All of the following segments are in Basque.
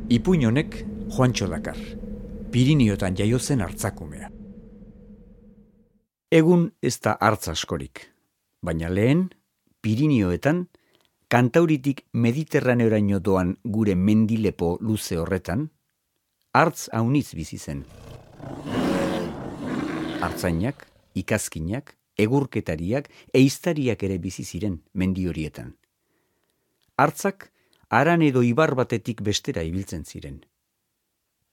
Ipuin honek Juantxo dakar, Pirinioetan jaio zen hartzakumea. Egun ez da hartz askorik, baina lehen, Pirinioetan, Kantauritik Mediterraneoraino doan gure mendilepo luze horretan, hartz haunitz bizi zen. Hartzainak, ikazkinak, egurketariak, ehiztariak ere bizi ziren mendi horietan. Hartzak haran edo ibar batetik bestera ibiltzen ziren.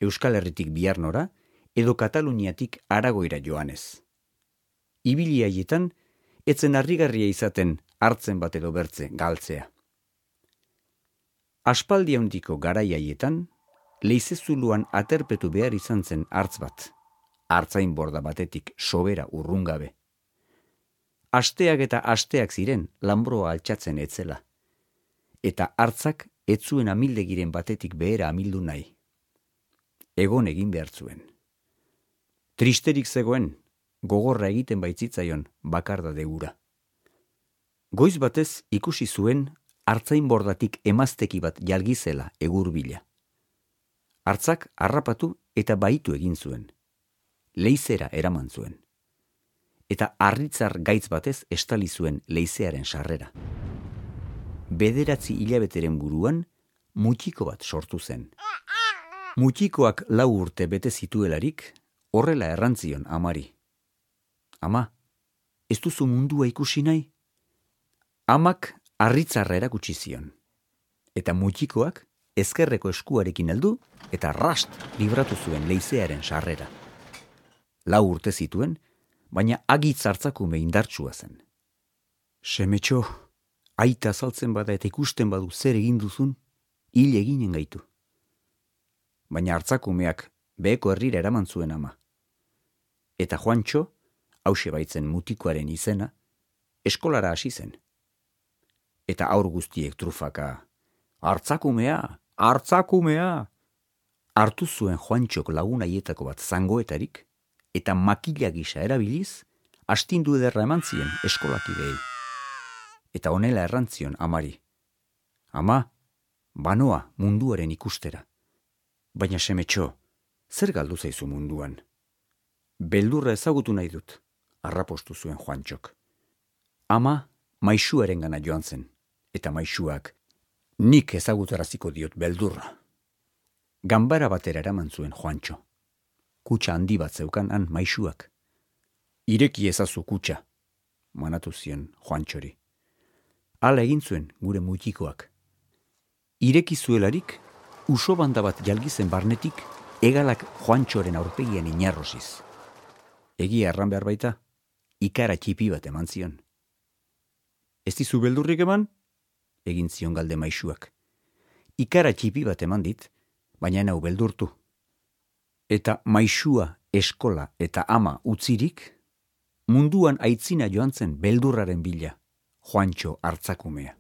Euskal Herritik Biarnora edo Kataluniatik Aragoira joanez. Ibili haietan, etzen harrigarria izaten hartzen bat edo bertze galtzea. Aspaldi handiko garai haietan, leizezuluan aterpetu behar izan zen hartz bat, hartzain borda batetik sobera urrungabe. Asteak eta asteak ziren lanbroa altxatzen etzela, eta hartzak ez zuen amildegiren batetik behera amildu nahi. Egon egin behar zuen. Tristerik zegoen, gogorra egiten baitzitzaion bakardade hura. Goiz batez ikusi zuen hartzain bordatik emazteki bat jalgizela egurbila. Hartzak harrapatu eta baitu egin zuen. Leizera eraman zuen. Eta harritzar gaitz batez estali zuen leizearen sarrera. 9 hilabeteren buruan, mutiko bat sortu zen. Mutikoak 4 urte bete zituelarik, horrela errantzion amari. Ama, ez duzu mundua ikusi nahi? Amak harritzarra erakutsi zion. Eta mutikoak ezkerreko eskuarekin heldu eta rast libratu zuen leizearen sarrera. 4 urte zituen, baina agitz hartzakume indartsua zen. Semetxo, aita azaltzen bada eta ikusten badu zer egin duzun, hil eginen gaitu. Baina hartzakumeak beheko herrira eraman zuen ama. Eta Juantxo, hause baitzen mutikoaren izena, eskolara hasi zen. Eta haur guztiek trufaka, hartzakumea, hartzakumea! Hartu zuen Juantxok lagun haietako bat zangoetarik, eta makila gisa erabiliz, astindu ederra eman zien eskolakideei. Eta honela errantzion amari. Ama, banoa munduaren ikustera. Baina Semetxo, zer galdu zaizu munduan? Beldurra ezagutu nahi dut, harrapostu zuen Juantxok. Ama, maisuaren gana joan zen, eta maisuak, nik ezagutaraziko diot beldurra. Ganbara batera eraman zuen Juantxo. Kutxa handi bat zeukan han maisuak. Ireki ezazu kutxa, manatu zion Juantxori. Hala egin zuen gure mutikoak. Ireki zuelarik, uso banda bat jalgizen barnetik, hegalak Juantxoren aurpegian inarrosiz. Egia erran behar baita, ikara txipi bat eman zion. Ez dizu beldurrik eman? Egin zion galde maisuak. Ikara txipi bat eman dit, baina nau beldurtu. Eta maisua, eskola eta ama utzirik, munduan aitzina joan zen beldurraren bila, Juantxo hartzakumea.